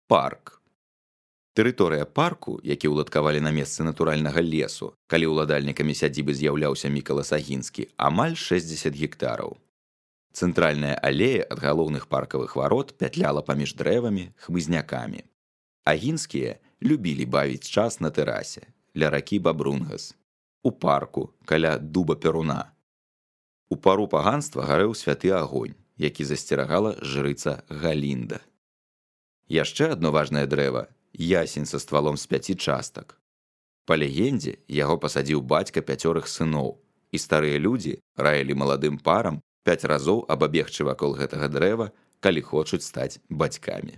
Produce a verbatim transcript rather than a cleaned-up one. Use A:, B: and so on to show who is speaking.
A: Парк. Тэрыторыя парку, які ўладкавалі на месцы натуральнага лесу, калі ўладальнікамі сядзібы з'яўляўся Мікалас Агінскі, амаль шэсцьдзесят гектараў. Цэнтральная алея ад галоўных паркавых варот пятляла паміж дрэвамі, хмызнякамі. Агінскія любілі бавіць час на тэрасе, ля ракі Бабрунгас, у парку, каля дуба Перуна. У пару паганства гарэў святы агонь, які засцерагала жрыца Галінда. Яшчэ адно важнае дрэва – ясень са ствалом з пяці частак. Па легендзе, яго пасадзіў бацька пяцёрых сыноў, і старыя людзі раілі маладым парам пяць разоў абабегчы вакол гэтага дрэва, калі хочуць стаць бацькамі.